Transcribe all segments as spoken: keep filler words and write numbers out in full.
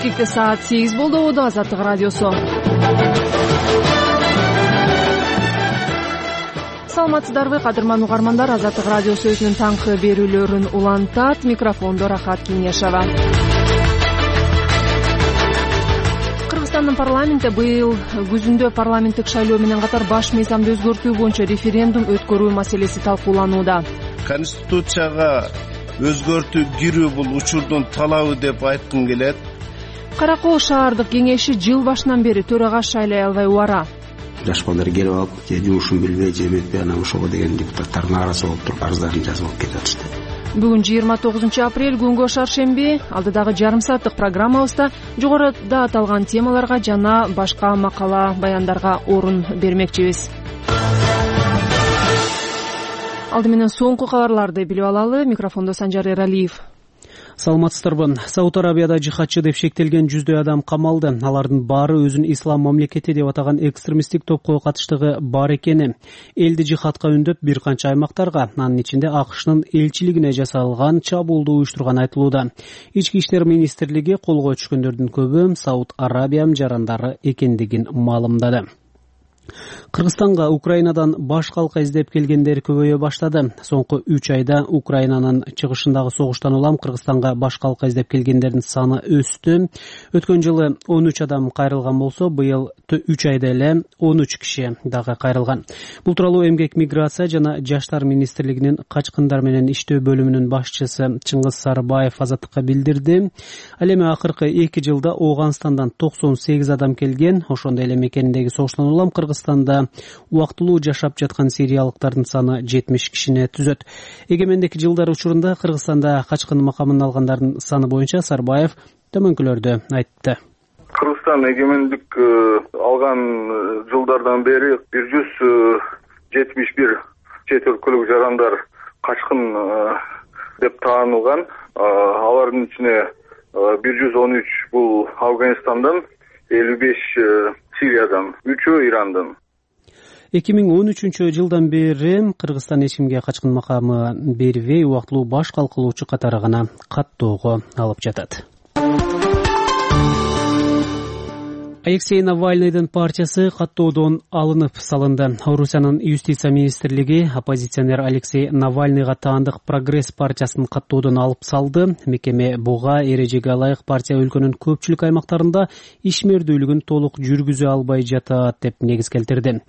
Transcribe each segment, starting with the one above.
бишкекте саат сегиз болду. Убуду Азаттык радиосу. Саламатсыздарбы, кадырман угармандар. Азаттык радиосу өзүнүн таңкы берүүлөрүн улантат. Микрофондо Рахат Кеңешова. Кыргызстандын парламенти быйыл күзүндө парламенттик шайлоо менен катар баш мыйзамды өзгөртүү боюнча референдум өткөрүү маселеси талкууланууда. Конституцияга өзгөртүү кирүү бул учурдун талабы деп айткым келет. Кара Коо шаардык кеңеши жыл башынан бери төрага шайлай албай убара. Жаш балдар келип алып, же жумушун билбей, же эметпей, анан ошого деген депутаттардын арасы болуп туруп арыздарын жазып алып кетип атышты. Бүгүн жыйырма тогузунчу апрель күнгө шаршемби. Алдыдагы жарым сааттык программабызда жогоруда аталган темаларга жана башка макала баяндарга орун бермекчибиз. Алды менен соңку кабарларды билип алалы. Микрофондо Санжар Эралиев. Саламатсыздарбы. Сауд Арабияда жихадчы деп шектелген жүздөй адам камалды. Алардын баары өзүн ислам мамлекети деп атаган экстремисттик топко катыштыгы бар экени. Элди жихадка үндөп бир канча аймактарга, анын ичинде АКШнын элчилигине жасалган чабуулду уюштурган айтылууда. Ички иштер министрлиги колго түшкөндөрдүн көбү Сауд Арабия жарандары экендигин маалымдады. Кыргызстанга Украинадан баш калка издеп келгендер көбөйө баштады. Соңку үч айда Украинанын чыгышындагы согуштан улам Кыргызстанга баш калка издеп келгендердин саны өстү. Өткөн жылы он үч адам кайрылган болсо, быйыл үч айда эле он үч киши дагы кайрылган. Бул тууралуу Эмгек, миграция жана жаштар министрлигинин качкындар менен иштөө бөлүмүнүн башчысы Чыңгыз Сарыбаев Азаттыкка билдирди. Ал эми акыркы эки жылда Ооганстандан токсон сегиз адам келген. Ошондой эле мекениндеги согуштан улам Кыргызстанда убактылуу жашап жаткан сириялыктардын саны жетимиш кишини түзөт. Эгемендик жылдар учурунда Кыргызстанда качкын макамын алгандардын саны боюнча Сарбаев төмөнкүлөрдү айтты. Кыргызстан эгемендик алган жылдардан бери бир жүз жетимиш бир чет өлкөлүк жарандар качкын деп таанылган. Алардын ичине бир жүз он үч бул Афганистандан, элүү беш Сириядан, үчөө Ирандан. эки миң он үчүнчү жылдан бери Кыргызстан эч кимге качкын макамы бербей, убактылуу баш калкылоочу катары гана каттоого алып жатат. Алексей Навальныйдын партиясы каттоодон алынып салынды. Орусиянын юстиция министрлиги оппозиционер Алексей Навальныйга таандык Прогресс партиясын каттоодон алып салды. Мекеме буга эрежеге ылайык партия өлкөнүн көпчүлүк аймактарында ишмердүүлүгүн толук жүргүзө албай жатат деп негиз келтирди.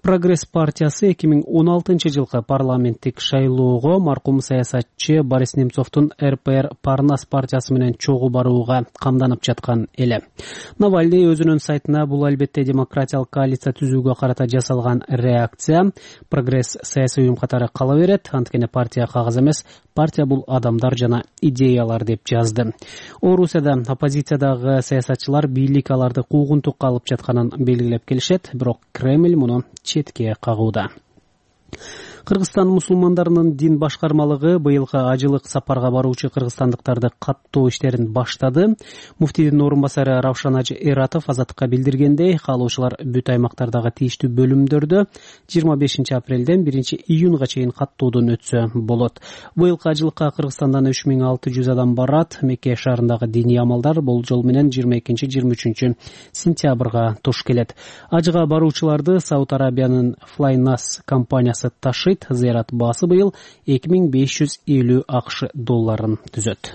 Прогресс партиясы эки миң он алтынчы жылкы парламенттик шайлоого маркум саясатчы Борис Немцовдун эр пэ эр Парнас партиясы менен чогуу барууга камданып жаткан эле. Навальный өзүнүн сайтына бул албетте демократиялык коалиция түзүүгө карата жасалган реакция. Прогресс саясий уюм катары кала берет. Анткени партия кагаз эмес, партия бул адамдар жана идеялар деп жазды. Орусияда оппозициядагы саясатчылар бийлик аларды куугунтукка алып жатканын белгилеп келишет, бирок Кремль муну четке кагууда. Кыргызстан мусулмандарынын дин башкармалыгы быйылкы ажылык сапарга баруучу кыргызстандыктарды каттоо иштерин баштады. Муфтийдин орун басары Равшан Ажы Эратов Азаттыкка билдиргендей, каалоочулар бүт аймактардагы тийиштүү бөлүмдөрдө жыйырма бешинчи апрелден биринчи июнга чейин каттоодон өтсө болот. Быйылкы ажылыкка Кыргызстандан үч миң алты жүз адам барат. Мекке шаарындагы диний амалдар болжол менен жыйырма экинчи жыйырма үчүнчү сентябрга туш келет. Ажыга баруучуларды Сауд Арабиянын Flynas компаниясы ташыйт. Зыярат баасы быйыл эки миң беш жүз элүү АКШ долларын түзөт.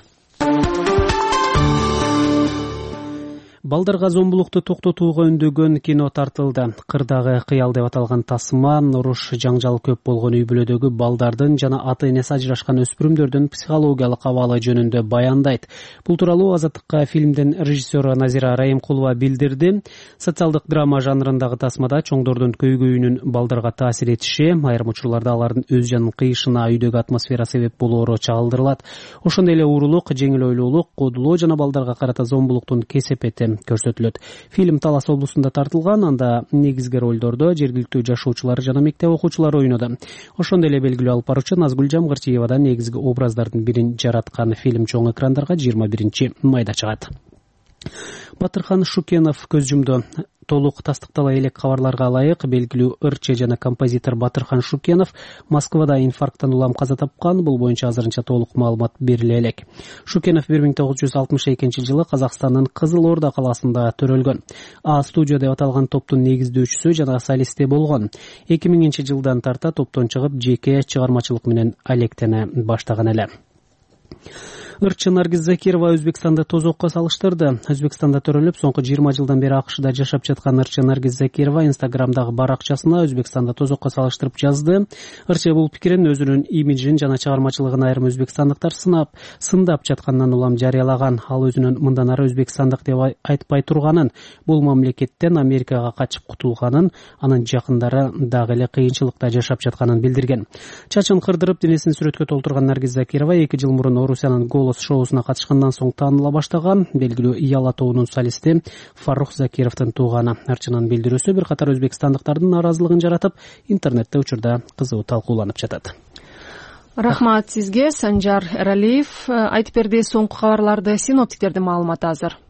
Балдарга зомбулукту токтотууга үндөгөн кино тартылды. Кырдагы кыял деп аталган тасма уруш жаңжал көп болгон үй-бүлөдөгү балдардын жана ата-энеси ажырашкан өспүрүмдөрдүн психологиялык абалы жөнүндө баяндайт. Бул тууралуу Азаттыкка фильмдин режиссеру Назира Райымкулова билдирди. Социалдык драма жанрындагы тасмада чоңдордун көйгөйүнүн балдарга таасир этиши, айрым учурларда алардын өз жанын кыйышына үйдөгү атмосфера себеп болоору чагылдырылат. Ошондой эле уурулук, жеңил ойлуулук, кодулоо жана балдарга карата зомбулуктун кесепети көрсөтүлөт. Фильм Талас облусунда тартылган, анда негизги ролдордо жергиликтүү жашоочулар жана мектеп окуучулары ойноду. Ошондой эле белгилүү алып баруучу Назгүл Жамгырчиева да негизги образдардын бирин жараткан. Фильм чоң экрандарга жыйырма биринчи майда чыгат. Батырхан Шукенов көз жумду. толук тастыктала элек кабарларга ылайык, белгилүү ырчы жана композитор Батырхан Шукенов Москвада инфаркттан улам каза тапкан. Бул боюнча азырынча толук маалымат бериле элек. Шукенов бир миң тогуз жүз алтымыш экинчи жылы Казакстандын Кызыл Орда калаасында төрөлгөн. А студия деп аталган топтун негиздөөчүсү жана солисти болгон. эки миңинчи жылдан тарта топтон чыгып, жеке чыгармачылык менен алектене баштаган эле. Ырчы Наргиз Закирова Өзбекстанды тозокко салыштырды. Өзбекстанда төрөлүп, соңку жыйырма жылдан бери АКШда жашап жаткан ырчы Наргиз Закирова Инстаграмдагы баракчасына Өзбекстанда тозокко салыштырып жазды. Ырчы бул пикирин өзүнүн имиджин жана чыгармачылыгын айрым өзбекстандыктар сынап, сындап жаткандан улам жарыялаган. Ал өзүнүн мындан ары өзбекстандык деп айтпай турганын, бул мамлекеттен Америкага качып кутулганын, анын жакындары дагы эле кыйынчылыкта жашап жатканын билдирген. Чачын кырдырып, денесин сүрөткө толтурган Наргиз Закирова эки жыл мурун Орусиянын Голос шоусуна катышкандан соң тааныла баштаган. Белгилүү Яла тобунун солисти Фарух Закировдун тууганы. Ырчынын билдирүүсү бир катар өзбекстандыктардын нааразылыгын жаратып, интернетте учурда кызуу талкууланып жатат. Рахмат сизге, Санжар Эралиев. Айтып берди соңку кабарларды синоптиктердин маалыматы азыр.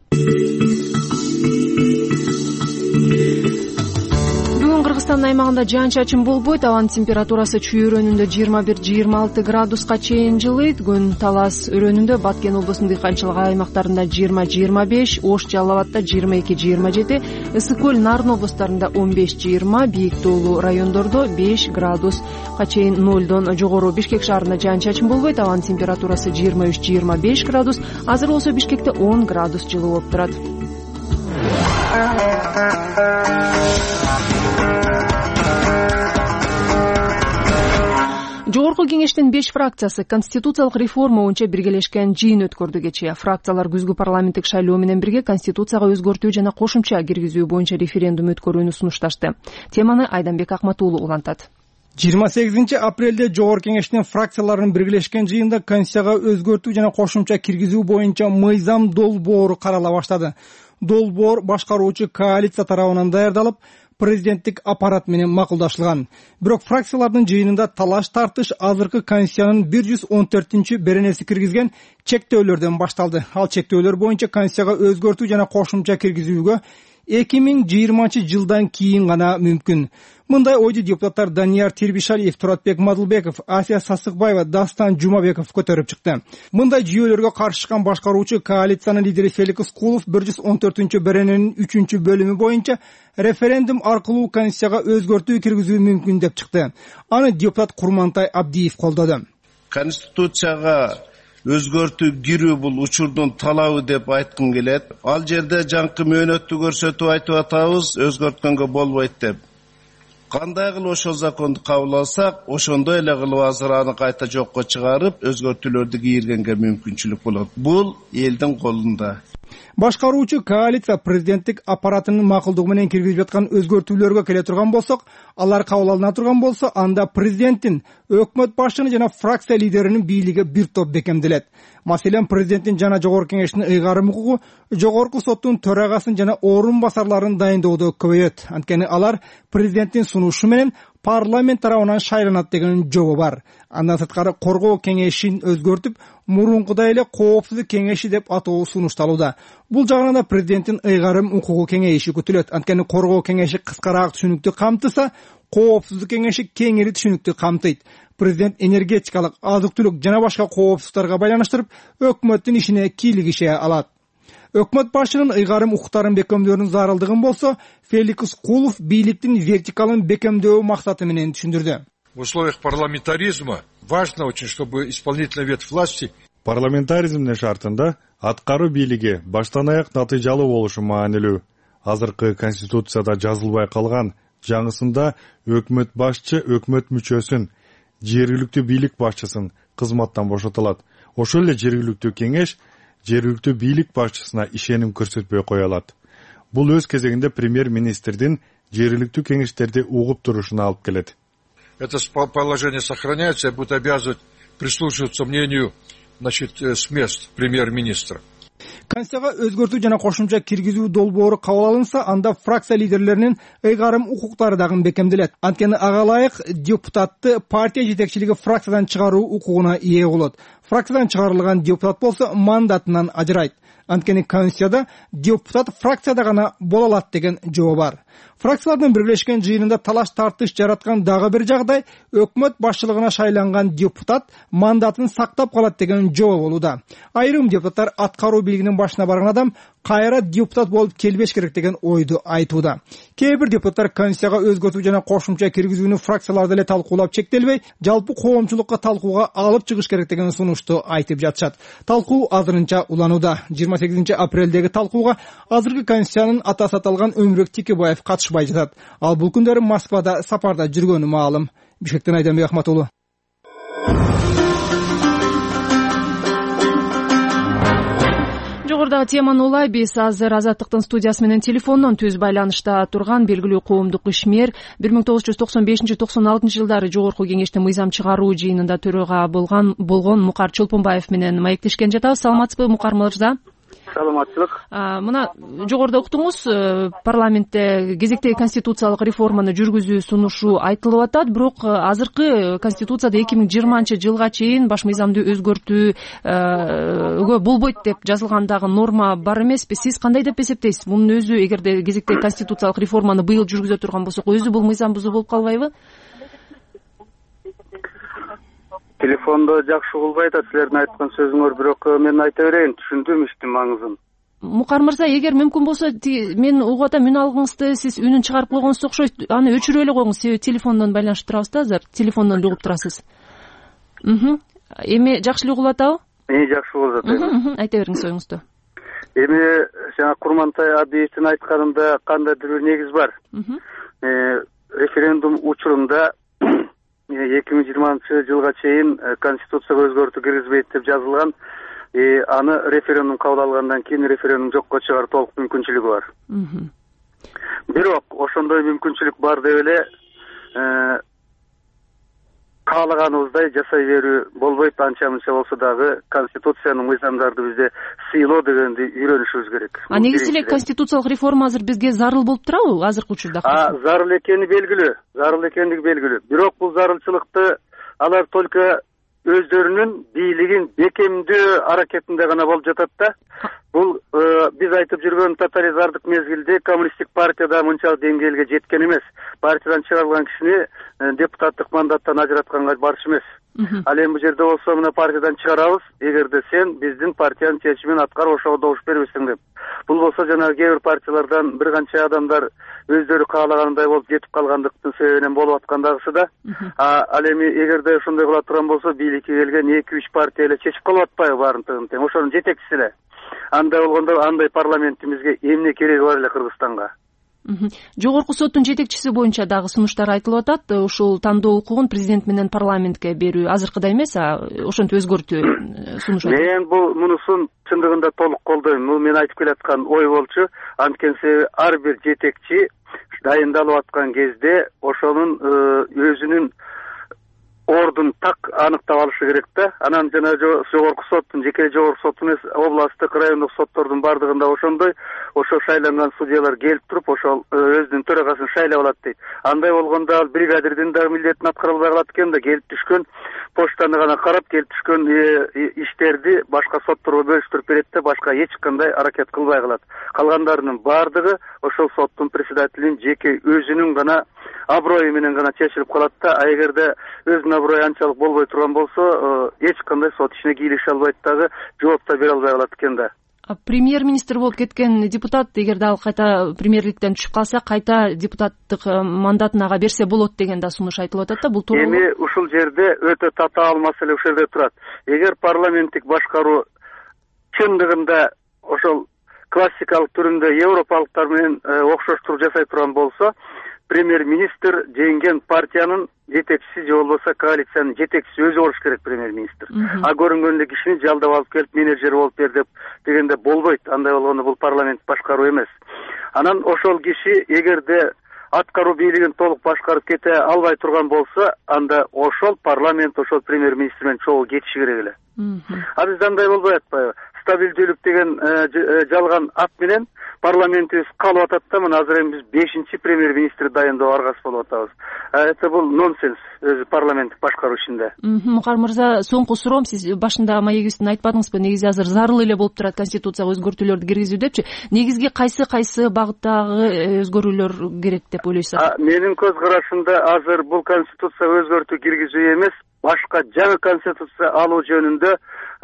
Кыргызстандын аймагында жаан-чачын болбойт, абанын температурасы Чүй өрөөнүндө жыйырма бир жыйырма алты градуска чейин жылыйт. Күн Талас өрөөнүндө, Баткен облусунун дыйканчылык аймактарында жыйырма жыйырма беш, Ош Жалал Абадта жыйырма эки жыйырма жети, Ысык көл Нарын облустарында он беш жыйырма, Бийик тоолуу райондордо беш градуска чейин нолдон жогору. Бишкек шаарында жаан-чачын болбойт, абанын температурасы жыйырма үч жыйырма беш градус. Азыр болсо Бишкекте он градус жылуу болуп турат. Жогорку кеңештин беш фракциясы конституциялык реформа боюнча биргелешкен жыйын өткөрдү кечээ. Фракциялар күзгү парламенттик шайлоо менен бирге конституцияга өзгөртүү жана кошумча киргизүү боюнча референдум өткөрүүнү сунушташты. Теманы Айданбек Акматуулу улантат. жыйырма сегизинчи апрелде Жогорку кеңештин фракцияларынын биргелешкен жыйында конституцияга өзгөртүү жана кошумча киргизүү боюнча мыйзам долбоору карала баштады. Долбоор башкаруучу коалиция тарабынан даярдалып, президенттик аппарат менен макулдашылган. Бирок фракциялардын жыйынында талаш тартыш азыркы конституциянын бир жүз он төртүнчү беренеси киргизген чектөөлөрдөн башталды. Ал чектөөлөр боюнча конституцияга өзгөртүү жана кошумча киргизүүгө эки миң жыйырманчы жылдан кийин гана мүмкүн. Мындай ойду депутаттар Данияр Тирбишалиев, Туратбек Мадылбеков, Асия Сасыкбаева, Дастан Жумабеков көтөрүп чыкты. Мындай жүйөлөргө каршы чыккан башкаруучу коалициянын лидери Феликс Кулов бир жүз он төртүнчү берененин үчүнчү бөлүмү боюнча референдум аркылуу конституцияга өзгөртүү киргизүү мүмкүн деп чыкты. Аны депутат Курмантай Абдиев колдоду. Конституцияга өзгөртүү кирүү бул учурдун талабы деп айткым келет. Ал жерде жаңкы мөөнөттү көрсөтүп айтып атабыз, өзгөрткөнгө болбойт деп. Кандай кылып ошол законду кабыл алсак, ошондой эле кылып азыр аны кайта жокко чыгарып, өзгөртүүлөрдү кийиргенге мүмкүнчүлүк болот. Бул элдин колунда. Башкаруучу коалиция президенттик аппаратынын макулдугу менен киргизип жаткан өзгөртүүлөргө келе турган болсок, алар кабыл алына турган болсо, анда президенттин, өкмөт башчынын жана фракция лидеринин бийлиги бир топ бекемделет. Маселен, президенттин жана Жогорку кеңештин ыйгарым укугу Жогорку соттун төрагасын жана орун басарларын дайындоодо көбөйөт. Анткени алар президенттин сунушу менен парламент тарабынан шайланат деген жобо бар. Андан сырткары коргоо кеңешин өзгөртүп, мурункудай эле коопсуздук кеңеши деп атоо сунушталууда. Бул жагынан да президенттин ыйгарым укугу кеңейиши күтүлөт. Анткени коргоо кеңеши кыскараак түшүнүктүү камтыса, коопсуздук кеңеши кеңири түшүнүктүү камтыйт. Президент энергетикалык, азык-түлүк жана башка коопсуздуктарга байланыштырып, өкмөттүн ишине кийлигише алат. Өкмөт башчынын ыйгарым укуктарын бекемдөөнүн зарылдыгын болсо, Феликс Кулов бийликтин вертикалын бекемдөө максаты менен түшүндүрдү. В условиях парламентаризма важно очень, чтобы исполнительная ветвь власти парламентаризмдин шартында аткаруу бийлиги баштан аяк натыйжалуу болушу маанилүү. Азыркы конституцияда жазылбай калган жаңысында өкмөт башчы өкмөт мүчөсүн, жергиликтүү бийлик башчысын кызматтан бошотулат. Ошол эле жергиликтүү кеңеш жергиликтүү бийлик башчысына ишеним көрсөтпөй кое алат. Бул өз кезегинде премьер-министрдин жергиликтүү кеңештерди угуп турушуна алып келет. Это положение сохраняется и будет обязывать прислушиваться мнению, значит, с мест премьер-министра. Конституцияга өзгөртүү жана кошумча киргизүү долбоору кабыл алынса, анда фракция лидерлеринин ыйгарым укуктары дагы бекемделет. Анткени ага ылайык депутатты партия жетекчилиги фракциядан чыгаруу укугуна ээ болот. фракциядан чыгарылган депутат болсо мандатынан ажырайт. Анткени Конституцияда депутат фракцияда гана боло алат деген жобо бар. Фракциялардын бирлешкен жыйынында талаш тартыш жараткан дагы бир жагдай өкмөт башчылыгына шайланган депутат мандатын сактап калат деген жобо болууда. Айрым депутаттар аткаруу бийлигинин башына барган адам кайра депутат болуп келбеш керек деген ойду айтууда. Кээ бир депутаттар Конституцияга өзгөртүү жана кошумча киргизүүнү фракцияларда эле талкуулап чектелбей, жалпы коомчулукка талкууга алып чыгыш керек деген сунушту айтып жатышат. Талкуу азырынча уланууда. жыйырма сегизинчи апрелдеги талкууга азыркы Конституциянын атасы аталган Өмүрбек Текебаев катышпай жатат. Ал бул күндөрү Москвада сапарда жүргөнү маалым. Бишкектен Айданбек Ахматулу. Жогорудагы теманы улай биз азыр Азаттыктын студиясы менен телефондон түз байланышта турган белгилүү коомдук ишмер бир миң тогуз жүз токсон бешинчи токсон алтынчы жылдары жогорку кеңештин мыйзам чыгаруу жыйынында төрага болгон болгон Мукар Чолпонбаев менен маектешкен жатабыз. Саламатсызбы, Мукар мырза? Саламатчылык. Мына жогоруда уктуңуз, парламентте кезектеги конституциялык реформаны жүргүзүү сунушу айтылып атат, бирок азыркы конституцияда эки миң жыйырманчы жылга чейин баш мыйзамды өзгөртүүгө болбойт деп жазылгандагы норма бар эмеспи? Сиз кандай деп эсептейсиз? Мунун өзү эгерде кезектеги конституциялык реформаны быйыл жүргүзө турган болсок, өзү бул мыйзам бузуу болуп калбайбы? Телефондо жакшы угулбай атат силердин айткан сөзүңөр, бирок мен айта берейин, түшүндүм иштин маңызын. Мукар мырза, эгер мүмкүн болсо, мен угуп атам, үн алгыңызды сиз үнүн чыгарып койгонуңуз окшойт. Аны өчүрүп эле коюңуз, себеби телефондон байланышып турабыз да азыр. Телефондон угуп турасыз. Эми жакшы эле угулуп атабы? Эми жакшы угулуп атат. Айта бериңиз оюңузду. Эми жана Курмантай Абиевдин айтканында кандайдыр бир негиз бар. Референдум учурунда эки миң жыйырманчы жылга чейин конституцияга өзгөртүү киргизбейт деп жазылган. Аны референдум кабыл алгандан кийин референдум жокко чыгаруу толук мүмкүнчүлүгү бар. Бирок ошондой мүмкүнчүлүк бар деп эле каалаганыбыздай жасай берүү болбойт. Анча мынча болсо дагы конституциянын мыйзамдарды бизде сыйлоо дегенди үйрөнүшүбүз керек. А негизи эле конституциялык реформа азыр бизге зарыл болуп турабы азыркы учурда? А зарыл экени белгилүү, зарыл экендиги белгилүү. Бирок бул зарылчылыкты алар только өздөрүнүн бийлигин бекемдөө аракетинде гана болуп жатат да. Бул биз айтып жүргөн тоталитардык мезгилде коммунисттик партияда мынчалык деңгээлге жеткен эмес. Партиядан чыгарылган кишини депутаттык мандаттан ажыратканга барчу эмес. Ал эми бул жерде болсо мына партиядан чыгарабыз, эгерде сен биздин партиянын чечимин аткарып ошого добуш бербесең деп. Бул болсо жанагы кээ бир партиялардан бир канча адамдар өздөрү каалагандай болуп жетип калгандыктын себебинен болуп аткандагысы да. Ал эми эгерде ошондой кыла турган болсо бийликке келген эки үч партия эле чечип калып атпайбы баарын тыгын тең? Ошонун жетекчиси эле. Андай болгондо андай парламентибизге эмне кереги бар эле Кыргызстанга? Жогорку соттун жетекчиси боюнча дагы сунуштар айтылып атат. Ушул тандоо укугун президент менен парламентке берүү азыркыдай эмес, ошентип өзгөртүү сунуш. Мен бул мунусун чындыгында толук колдойм. Бул мен айтып келаткан ой болчу. Анткени себеби ар бир жетекчи дайындалып аткан кезде ошонун өзүнүн ордун так аныктап алышы керек да. Анан жана жогорку соттун, жеке жогорку соттун эмес, областтык, райондук соттордун бардыгында ошондой, ошо шайланган судьялар келип туруп, ошол өзүнүн төрагасын шайлап алат дейт. Андай болгондо ал бригадирдин дагы милдетин аткара албай калат экен да, келип түшкөн почтаны гана карап, келип түшкөн иштерди башка сотторго бөлүштүрүп берет да, башка эч кандай аракет кылбай калат. Калгандарынын бардыгы ошол соттун председателинин жеке өзүнүн гана аброю менен гана чечилип калат да. А эгерде өзүнүн аброю анчалык болбой турган болсо, эч кандай сот ишине кийлеше албайт дагы, жооп да бере албай калат экен да. Премьер-министр болуп кеткен депутат, эгерде ал кайта премьерликтен түшүп калса, кайта депутаттык мандатын ага берсе болот деген да сунуш айтылып атат да. Бул туура. Эми ушул жерде өтө татаал маселе ушул жерде турат. Эгер парламенттик башкаруу чындыгында ошол классикалык түрүндө европалыктар менен окшоштуруп жасай турган болсо, премьер-министр жеңген партиянын жетекчиси же болбосо коалициянын жетекчиси өзү болуш керек премьер-министр. А көрүнгөндө кишини жалдап алып келип менеджер болуп бер деп дегенде болбойт. Андай болгондо бул парламент башкаруу эмес. Анан ошол киши эгерде аткаруу бийлигин толук башкарып кете албай турган болсо, анда ошол парламент ошол премьер-министр менен чогуу кетиши керек эле. А бизде андай болбой атпайбы? Стабилдүүлүк деген жалган ат менен парламентибиз калып атат да, мына азыр эми биз бешинчи премьер министр дайындоо аргасы болуп атабыз. Это бул нонсенс өзү парламенттик башкаруу ичинде. Мукар мырза, соңку суроом, сиз башында маегибизден айтпадыңызбы, негизи азыр зарыл эле болуп турат конституцияга өзгөртүүлөрдү киргизүү депчи. Негизги кайсы кайсы багыттагы өзгөрүүлөр керек деп ойлойсуз? Менин көз карашымда азыр бул конституцияга өзгөртүү киргизүү эмес, башка жаңы конституция алуу жөнүндө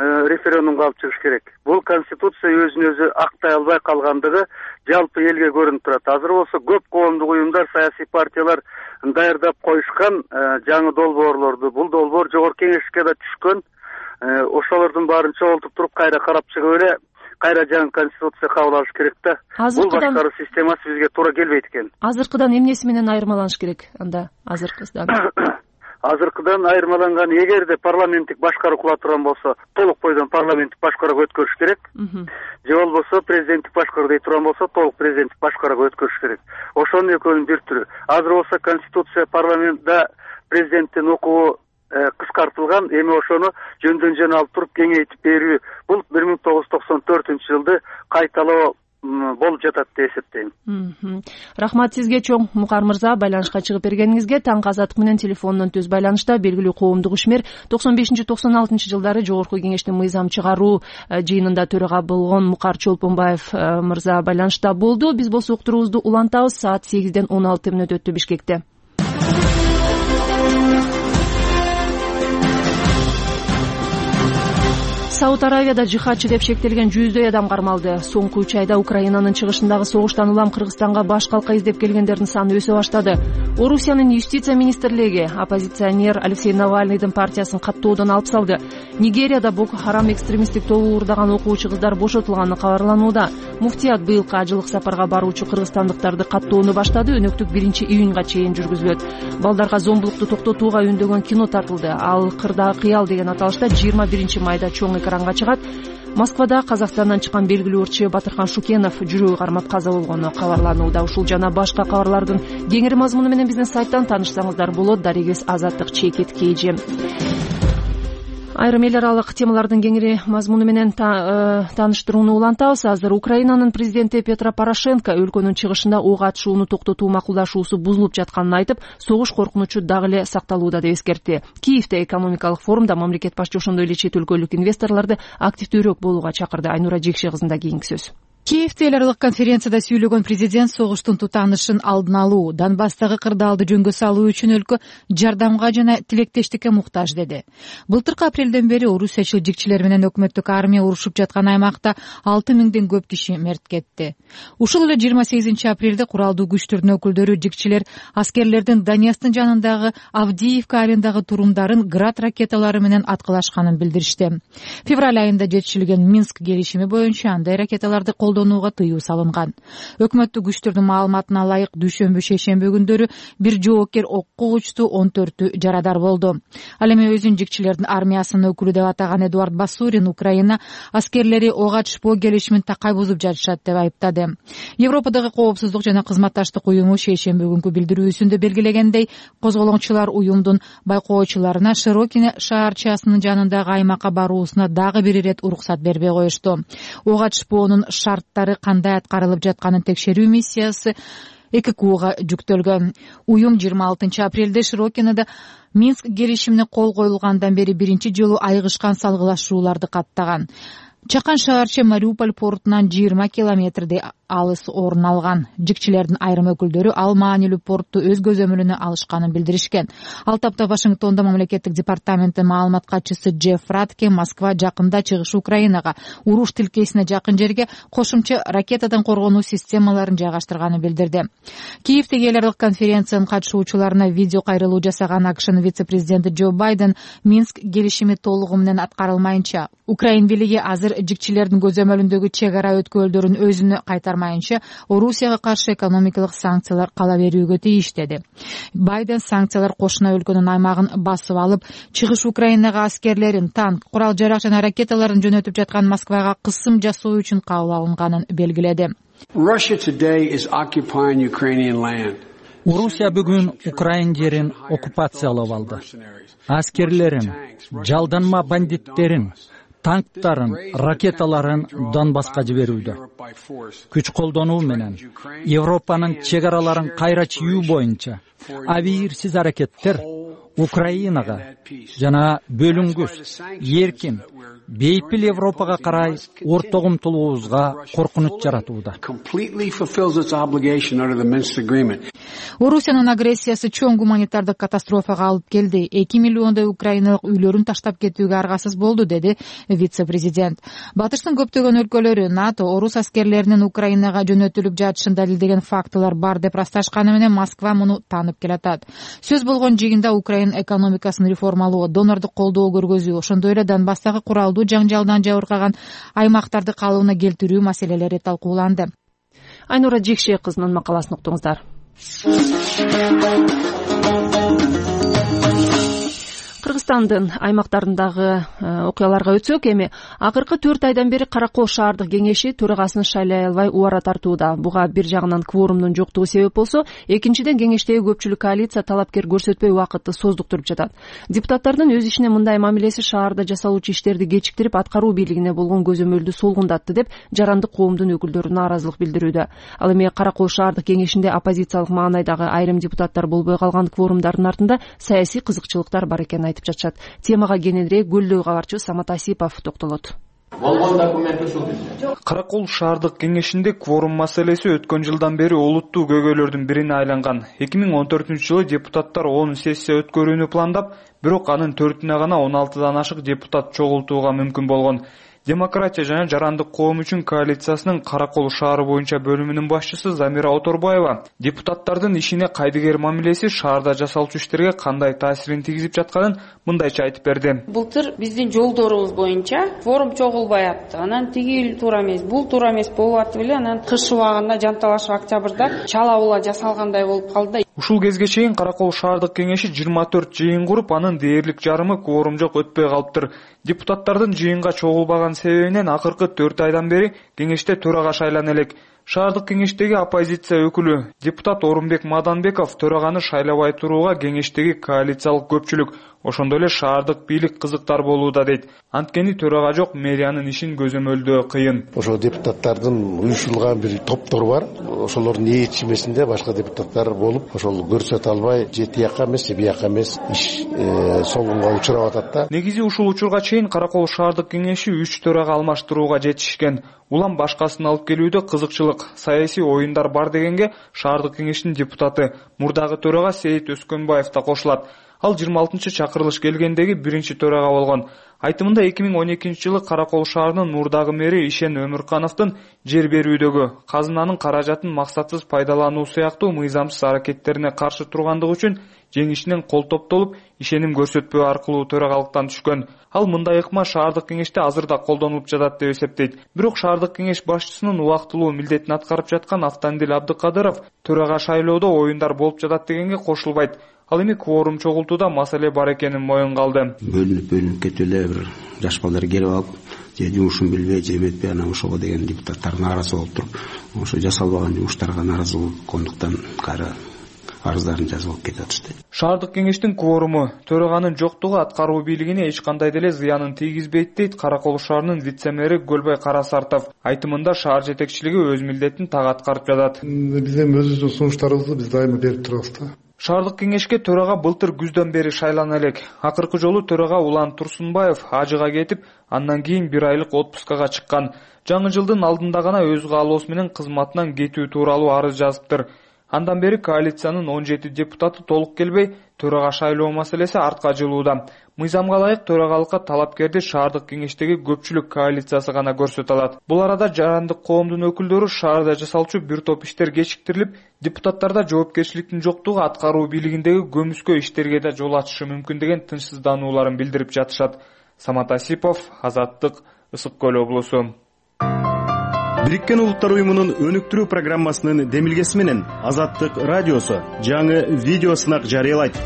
референдумга алып чыгыш керек. Бул конституция өзүн өзү актай албай калгандыгы жалпы элге көрүнүп турат. Азыр болсо көп коомдук уюмдар, саясий партиялар даярдап коюшкан жаңы долбоорлорду. Бул долбоор жогорку кеңешке да түшкөн. Ошолордун баарын чогултуп туруп кайра карап чыгып эле кайра жаңы конституция кабыл алыш керек да. Бул башкаруу системасы бизге туура келбейт экен. Азыркыдан эмнеси менен айырмаланыш керек анда? Азыркыдан азыркыдан айырмаланган, эгерде парламенттик башкаруу кыла турган болсо, толук бойдон парламенттик башкарууга өткөрүш керек. Же болбосо президенттик башкаруу дей турган болсо, толук президенттик башкарууга өткөрүш керек. Ошонун экөөнүн бир түрү. Азыр болсо конституция парламентте президенттин укугу кыскартылган, эми ошону жөндөн жөн алып туруп кеңейтип берүү, бул бир миң тогуз жүз токсон төртүнчү жылды кайталоо болуп жатат деп эсептейм. Рахмат сизге чоң, Мукар мырза, байланышка чыгып бергениңизге. Таңкы Азаттык менен телефондон түз байланышта белгилүү коомдук ишмер, токсон бешинчи токсон алтынчы жылдары Жогорку Кеңештин мыйзам чыгаруу жыйынында төрага болгон Мукар Чолпонбаев мырза байланышта болду. Биз болсо уктуруубузду улантабыз. Саат сегизден он алты мүнөт өттү Бишкекте. Сауд Аравияда жихадчы деп шектелген жүздөй адам кармалды. Соңку үч айда Украинанын чыгышындагы согуштан улам Кыргызстанга баш калка издеп келгендердин саны өсө баштады. Орусиянын юстиция министрлиги оппозиционер Алексей Навальныйдын партиясын каттоодон алып салды. Нигерияда Боко Харам экстремисттик тобу уурдаган окуучу кыздар бошотулганы кабарланууда. Муфтият быйылкы ажылык сапарга баруучу кыргызстандыктарды каттоону баштады. Өнөктүк биринчи июнга чейин жүргүзүлөт. Балдарга зомбулукту токтотууга үндөгөн кино тартылды. Ал Кырда кыял деген аталышта жыйырма биринчи майда чоң экранга чыгат. Москвада Казакстандан чыккан белгилүү ырчы Батырхан Шукенов жүрөгү кармап каза болгону кабарланууда. Ушул жана башка кабарлардын кеңири мазмуну менен биздин сайттан таанышсаңыздар болот. Дарегиз Азаттык чекит кейжи. Айрым эл аралык темалардын кеңири мазмуну менен тааныштырууну улантабыз. Азыр Украинанын президенти Петро Порошенко өлкөнүн чыгышында ок атышууну токтотуу макулдашуусу бузулуп жатканын айтып, согуш коркунучу дагы эле сакталууда деп эскертти. Киевде экономикалык форумда мамлекет башчы ошондой эле чет өлкөлүк инвесторлорду активдүүрөөк болууга чакырды. Айнура Жекше кызында кийинки сөз. Киевде эл аралык конференцияда сүйлөгөн президент согуштун тутанышын алдын алуу, Донбасстагы кырдаалды жөнгө салуу үчүн өлкө жардамга жана тилектештикке муктаж деди. Былтыркы апрелден бери орусиячыл жикчилер менен өкмөттүк армия урушуп жаткан аймакта алты миңден көп киши мерт кетти. Ушул эле жыйырма сегизинчи апрелде куралдуу күчтөрдүн өкүлдөрү жикчилер аскерлердин Донецктин жанындагы Авдеевка айылындагы турумдарын град ракеталары менен аткылашканын билдиришти. Февраль айында жетишилген Минск келишими боюнча андай ракеталарды колдонууга тыюу салынган. Өкмөттүк күчтөрдүн маалыматына ылайык дүйшөмбү шейшемби күндөрү бир жоокер окко учту, он төртү жарадар болду. Ал эми өзүн жикчилердин армиясынын өкүлү деп атаган Эдуард Басурин Украина аскерлери ок атышпоо келишимин такай бузуп жатышат деп айыптады. Европадагы коопсуздук жана кызматташтык уюму шейшемби күнкү билдирүүсүндө белгилегендей, козголоңчулар уюмдун байкоочуларына Широкине шаарчасынын жанындагы аймакка баруусуна дагы бир ирет уруксат бербей коюшту. Ок атышпоонун шарттары кандай аткарылып жатканын текшерүү миссиясы эки кууга жүктөлгөн. Уюм жыйырма алтынчы апрелде Широкинеде Минск келишимине кол коюлгандан бери биринчи жолу айгышкан салгылашууларды каттаган. Чакан шаарча Мариуполь портунан жыйырма километрдей алыс орун алган. Жикчилердин айрым өкүлдөрү ал маанилүү портту өз көзөмөлүнө алышканын билдиришкен. Ал тапта Вашингтондо мамлекеттик департаменттин маалымат катчысы Джефф Ратке Москва жакында чыгыш Украинага уруш тилкесине жакын жерге кошумча ракетадан коргонуу системаларын жайгаштырганын билдирди. Киевдеги эл аралык конференциянын катышуучуларына видео кайрылуу жасаган АКШнын вице-президенти Джо Байден Минск келишими толугу менен аткарылмайынча, Украин бийлиги азыр жикчилердин көзөмөлүндөгү чек ара өткөлдөрүн өзүнө кайтармайынча Орусияга каршы экономикалык санкциялар кала берүүгө тийиш деди. Байден санкциялар кошуна өлкөнүн аймагын басып алып, чыгыш Украинага аскерлерин, танк, курал жарак жана ракеталарын жөнөтүп жаткан Москвага кысым жасоо үчүн кабыл алынганын белгиледи. Орусия бүгүн Украин жерин оккупациялап алды. Аскерлерин, жалданма бандиттерин, танктарын, ракеталарын Донбасска жиберүүдө. Күч колдонуу менен Европанын чек араларын кайра чийүү боюнча абийирсиз аракеттер Украинага жана бөлүнгүс, эркин, бейпил Европага карай орток умтулуубузга коркунуч жаратууда. Орусиянын агрессиясы чоң гуманитардык катастрофага алып келди. эки миллиондой украиналык үйлөрүн таштап кетүүгө аргасыз болду, деди вице-президент. Батыштын көптөгөн өлкөлөрү НАТО орус аскерлеринин Украинага жөнөтүлүп жатышын далилдеген фактылар бар деп ырасташканы менен Москва муну таанып келатат. Сөз болгон жыйында Украин экономикасын реформалоо, донордук колдоо көргөзүү, ошондой эле Донбасстагы куралдуу жаңжалдан жабыркаган аймактарды калыбына келтирүү маселелери талкууланды. Айнура Жекше кызынын макаласын уктуңуздар. Кыргызстандын аймактарындагы окуяларга өтсөк, эми акыркы төрт айдан бери Каракол шаардык кеңеши төрагасын шайлай албай убара тартууда. Буга бир жагынан кворумдун жоктугу себеп болсо, экинчиден кеңештеги көпчүлүк коалиция талапкер көрсөтпөй убакытты создуктуруп жатат. Депутаттардын өз ишине мындай мамилеси шаарда жасалуучу иштерди кечиктирип, аткаруу бийлигине болгон көзөмөлдү солгундатты деп жарандык коомдун өкүлдөрү нааразылык билдирүүдө. Ал эми Каракол шаардык кеңешинде оппозициялык маанайдагы айрым депутаттар болбой калган кворумдардын артында саясий кызыкчылыктар бар экенин айтып жатышат. Темага кененирээк Гүлдөө кабарчы Самат Асипов токтолот. Каракол шаардык кеңешинде кворум маселеси өткөн жылдан бери олуттуу көйгөйлөрдүн бирине айланган. эки миң он төртүнчү жылы депутаттар он сессия өткөрүүнү пландап, бирок анын төртүнө гана он алтыдан ашык депутат чогултууга мүмкүн болгон. Демократия жана жарандык коом үчүн коалициясынын Каракол шаары боюнча бөлүмүнүн башчысы Замира Оторбаева депутаттардын ишине кайдыгер мамилеси шаарда жасалчу иштерге кандай таасирин тийгизип жатканын мындайча айтып берди. Былтыр биздин жолдорубуз боюнча кворум чогулбай атты. Анан тиги туура эмес, бул туура эмес болуп атып эле анан кыш убагында жанталашып октябрда чала-була жасалгандай болуп калды. Ушул кезге чейин Каракол шаардык кеңеши жыйырма төрт жыйын куруп, анын дээрлик жарымы кворум жок өтпөй калыптыр. Депутаттардын жыйынга чогулбаган себебинен акыркы төрт айдан бери кеңеште төрага шайлана элек. Шаардык кеңештеги оппозиция өкүлү депутат Орунбек Маданбеков төраганы шайлабай турууга кеңештеги коалициялык көпчүлүк, ошондой эле шаардык бийлик кызыктар болууда дейт. Анткени төрага жок, мэриянын ишин көзөмөлдөө кыйын. Ошо депутаттардын уюшулган бир топтор бар. Ошолордун ээрчимесинде башка депутаттар болуп, ошол көрсөтө албай, же тияка эмес, же бияка эмес иш солгунга учурап атат да. Негизи ушул учурга чейин Каракол шаардык кеңеши үч төрага алмаштырууга жетишкен. Улам башкасын алып келүүдө кызыкчылык, саясий оюндар бар дегенге шаардык кеңештин депутаты мурдагы төрага Сейит Өскөнбаев да кошулат. Ал жыйырма алтынчы чакырылыш келгендеги биринчи төрага болгон. Айтымында эки миң он экинчи жылы Каракол шаарынын мурдагы мэри Ишен Өмүркановдун жер берүүдөгү казынанын каражатын максатсыз пайдалануу сыяктуу мыйзамсыз аракеттерине каршы тургандыгы үчүн жеңишинен кол топтолуп, ишеним көрсөтпөө аркылуу төрагалыктан түшкөн. Ал мындай ыкма шаардык кеңеште азыр да колдонулуп жатат деп эсептейт. Бирок шаардык кеңеш башчысынын убактылуу милдетин аткарып жаткан Автандил Абдыкадыров төрага шайлоодо оюндар болуп жатат дегенге кошулбайт. Ал эми кворум чогултууда маселе бар экенин моюнга алды. Бөлүнүп бөлүнүп кетип эле бир жаш балдар келип алып, же жумушун билбей, же эметпей, анан ошого деген депутаттар нааразы болуп туруп, ошо жасалбаган жумуштарга нааразы болгондуктан кайра арыздарын жазып алып кетип атышты. Шаардык кеңештин кворуму төраганын жоктугу аткаруу бийлигине эч кандай деле зыянын тийгизбейт дейт Каракол шаарынын вице-мэри Көлбай Карасартов. Айтымында шаар жетекчилиги өз милдетин так аткарып жатат. Биз эми өзүбүздүн сунуштарыбызды биз дайыма берип турабыз да. Шаардык кеңешке төрага былтыр күздөн бери шайлана элек. Акыркы жолу төрага Улан Турсунбаев ажыга кетип, андан кийин бир айлык отпускага чыккан. Жаңы жылдын алдында гана өз каалоосу менен кызматынан кетүү тууралуу арыз жазыптыр. Андан бери коалициянын он жети депутаты толук келбей, төрага шайлоо маселеси артка жылууда. Мыйзамга ылайык төрагалыкка талапкерди шаардык кеңештеги көпчүлүк коалициясы гана көрсөтө алат. Бул арада жарандык коомдун өкүлдөрү шаарда жасалчу бир топ иштер кечиктирилип, депутаттарда жоопкерчиликтин жоктугу аткаруу бийлигиндеги көмүскө иштерге да жол ачышы мүмкүн деген тынчсызданууларын билдирип жатышат. Самат Асипов, Азаттык, Ысык Көл облусу. Бириккен Улуттар уюмунун өнүктүрүү программасынын демилгеси менен Азаттык радиосу жаңы видео сынак жарыялайт.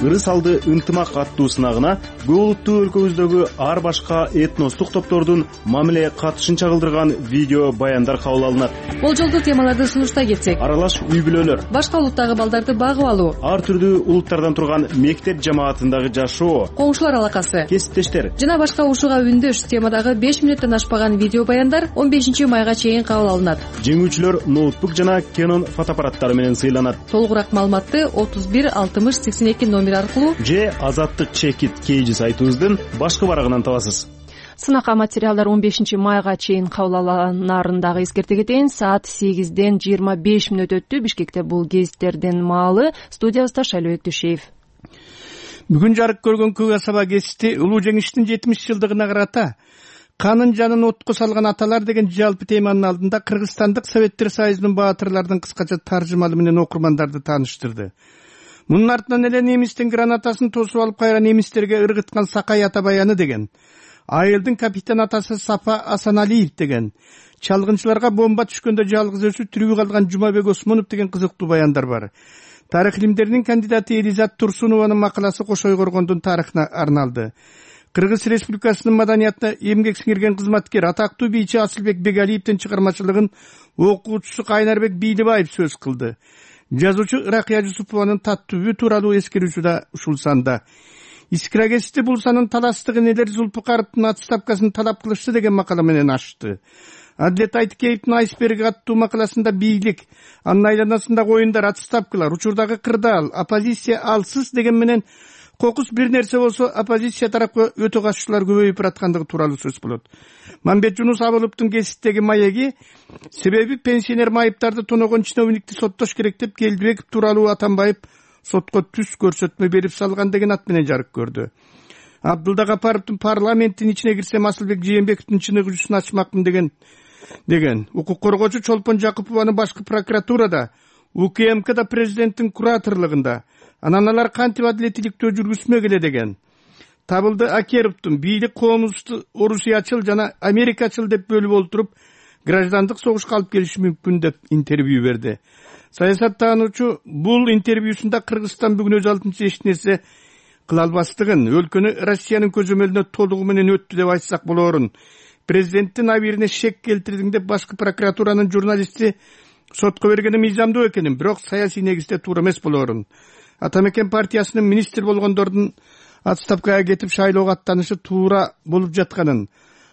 ырыс алды ынтымак аттуу сынагына көп улуттуу өлкөбүздөгү ар башка этностук топтордун мамиле катышын чагылдырган видео баяндар кабыл алынат. Болжолдуу темаларды сунуштай кетсек: аралаш үй бүлөлөр, башка улуттагы балдарды багып алуу, ар түрдүү улуттардан турган мектеп жамаатындагы жашоо, коңшулар алакасы, кесиптештер жана башка ушуга үндөш темадагы беш мүнөттөн ашпаган видео баяндар он бешинчи майга чейин кабыл алынат. Жеңүүчүлөр ноутбук жана Canon фотоаппараттары менен сыйланат. Толугураак маалыматты отуз бир алтымыш сексен эки номер аркылуу же азаттык чекит кейжи сайтыбыздын башкы барагынан табасыз. Сынакка материалдар он бешинчи майга чейин кабыл алынарын дагы эскерте кетейин. Саат сегизден жыйырма беш мүнөт өттү. Бишкекте бул гезиттердин маалы. Студиябызда Шайлообек Түшеев. Бүгүн жарык көргөн көк асаба гезити улуу жеңиштин жетимиш жылдыгына карата канын жанын отко салган аталар деген жалпы теманын алдында Кыргызстандык Советтер Союзунун баатырлардын кыскача таржымалы менен окурмандарды тааныштырды. Мунун артынан эле немистин гранатасын тосуп алып кайра немистерге ыргыткан Сакай Атабаяны деген, айылдын капитан атасы Сапа Асаналиев деген, чалгынчыларга бомба түшкөндө жалгыз өзү тирүү калган Жумабек Осмонов деген кызыктуу баяндар бар. Тарых илимдеринин кандидаты Элизат Турсунованын макаласы Кошой Коргондун тарыхына арналды. Кыргыз Республикасынын маданиятына эмгек сиңирген кызматкер, атактуу бийчи Асылбек Бегалиевдин чыгармачылыгын окуучусу Кайнарбек Бийлибаев сөз кылды. Жазуучу Ыракыя Жусупованын таттүбү тууралуу эскерүүсү да ушул санда. Искра гезити бул санын таластыгын элер Зулпукаровдун отставкасын талап кылышты деген макала менен ачты. Адлет Айткеевдин айсберг аттуу макаласында бийлик, анын айланасындагы оюндар, отставкалар, учурдагы кырдаал, оппозиция алсыз деген менен кокус бир нерсе болсо оппозиция тарапка өтө катышуулар көбөйүп бараткандыгы тууралуу сөз болот. Мамбет Жунус Абыловдун гезиттеги маеги себеби пенсионер майыптарды тоногон чиновникти соттош керек деп Келдибеков тууралуу Атамбаев сотко түз көрсөтмө берип салган деген ат менен жарык көрдү. Абдулда Гапаровдун парламенттин ичине кирсем Асылбек Жээнбековдун чыныгы жүзүн ачмакмын деген деген укук коргоочу Чолпон Жакупованын башкы прокуратурада, УКМКда президенттин кураторлугунда, анан алар кантип адилеттүүлүктү жүргүзмөгүлө деген. Табылды Акеровдун бийлик коомубузду Орусиячыл жана Америкачыл деп бөлүп олтуруп, граждандык согушка алып келиши мүмкүн деп интервью берди. Саясаттануучу бул интервьюсунда Кыргызстан бүгүн өз алдынча эч нерсе кыла албастыгын, өлкөнү Россиянын көзөмөлүнө толугу менен өттү деп айтсак болорун, президенттин абийирине шек келтирдиң деп башкы прокуратуранын журналисти сотко бергени мыйзамдуу экенин, бирок саясий негизде туура эмес болорун. Атамекен партиясынын министр болгондордун отставкага кетип шайлоого аттанышы туура болуп жатканын,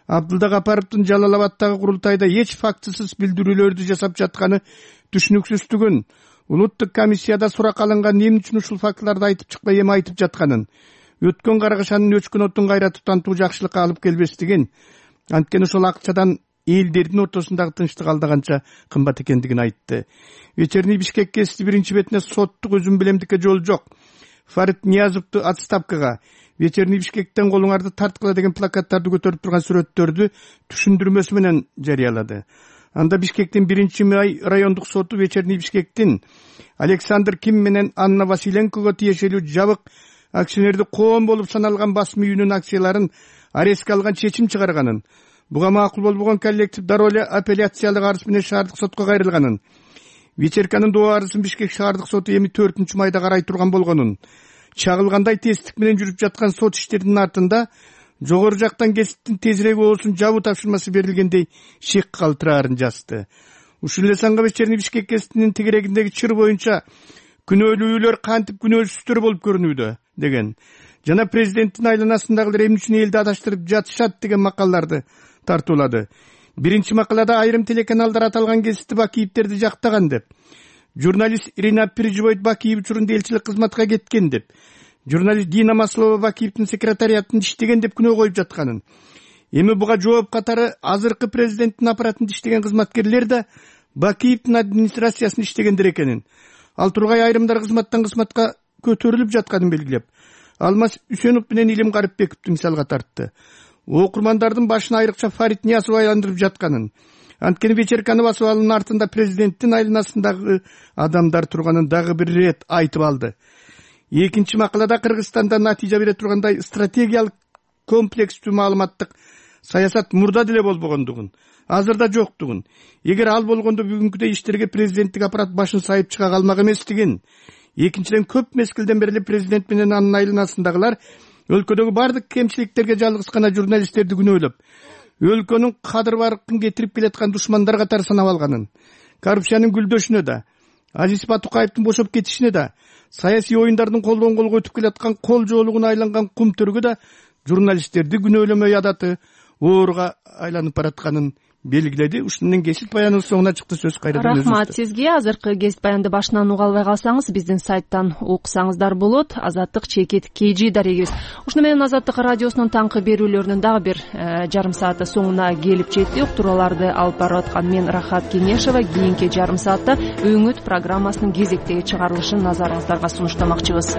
Абдулда Гапаровдун Жалал Абаддагы курултайда эч фактысыз билдирүүлөрдү жасап жатканы түшүнүксүздүгүн, улуттук комиссияда сурак алынган эмне үчүн ушул фактыларды айтып чыкпай эми айтып жатканын, өткөн каргышанын өчкөн оттун кайра тутантуу жакшылыкка алып келбестигин, анткени ошол акчадан элдердин ортосундагы тынчтык алдаганча кымбат экендигин айтты. Вечерний Бишкек гезити биринчи бетине соттук өзүм билемдикке жол жок, Фарид Ниязовду отставкага, Вечерний Бишкектен колуңарды тарткыла деген плакаттарды көтөрүп турган сүрөттөрдү түшүндүрмөсү менен жарыялады. Анда Бишкектин биринчи май райондук соту Вечерний Бишкектин Александр Ким менен Анна Василенкого тиешелүү жабык акционерди коом болуп саналган басма үйүнүн акцияларын арестке алган чечим чыгарганын, буга макул болбогон коллектив дароо апелляциялык арыз менен шаардык сотко кайрылганын, Вечерканын доо арызын Бишкек шаардык соту эми төртүнчү майда карай турган болгонун, чагылгандай тесттик менен жүрүп жаткан сот иштеринин артында жогору жактан гезиттин тезирээк оосун жабуу тапшырмасы берилгендей шек калтыраарын жазды. Ушул эле санга Вечерний Бишкек гезитинин тегерегиндеги чыр боюнча күнөөлүүлөр кантип күнөөсүздөр болуп көрүнүүдө деген жана президенттин айланасындагылар эмне үчүн элди адаштырып жатышат деген макалаларды тартуулады. Биринчи макалада айрым телеканалдар аталган гезитти Бакиевтерди жактаган деп, журналист Ирина Переживойт Бакиев учурунда элчилик кызматка кеткен деп, журналист Дина Маслова Бакиевдин секретариятында иштеген деп күнөө коюп жатканын, эми буга жооп катары азыркы президенттин аппаратында иштеген кызматкерлер да Бакиевдин администрациясында иштегендер экенин, ал тургай айрымдар кызматтан кызматка көтөрүлүп жатканын белгилеп, Алмаз Үсөнов менен Илим Карипбековду мисалга тартты. Окурмандардын башына айрыкча Фарид Ниязов айландырып жатканын, анткени Вечерканы басып алуунун артында президенттин айланасындагы адамдар турганын дагы бир ирет айтып алды. Экинчи макалада Кыргызстанда натыйжа бере тургандай стратегиялык комплекстүү маалыматтык саясат мурда деле болбогондугун, азырда жоктугун, эгер ал болгондо бүгүнкүдөй иштерге президенттик аппарат башын сайып чыга калмак эместигин, экинчиден, көп мезгилден бери президент менен анын айланасындагылар өлкөдөгү бардык кемчиликтерге жалгыз гана журналисттерди күнөөлөп, өлкөнүн кадыр баркын кетирип келаткан душмандар катары санап алганын, коррупциянын гүлдөшүнө да, Азиз Батукаевдин бошоп кетишине да, саясий оюндардын колдон колго өтүп келаткан кол жоолугуна айланган кумтөргө да журналисттерди күнөөлөмөй адаты ооруга айланып баратканын белгиледи. Ушуну менен кесип баяныбыз соңуна чыкты. Сөз кайрадан өзүңүздө. Рахмат сизге. Азыркы кесип баянды башынан уга албай калсаңыз, биздин сайттан уксаңыздар болот. Азаттык чекит kg дарегибиз. Ушуну менен Азаттык радиосунун таңкы берүүлөрүнүн дагы бир жарым сааты соңуна келип жетти. Уктурууларды алып барып аткан мен Рахат Кеңешова. Кийинки жарым саатта Өңүт программасынын кезектеги чыгарылышын назарыңыздарга сунуштамакчыбыз.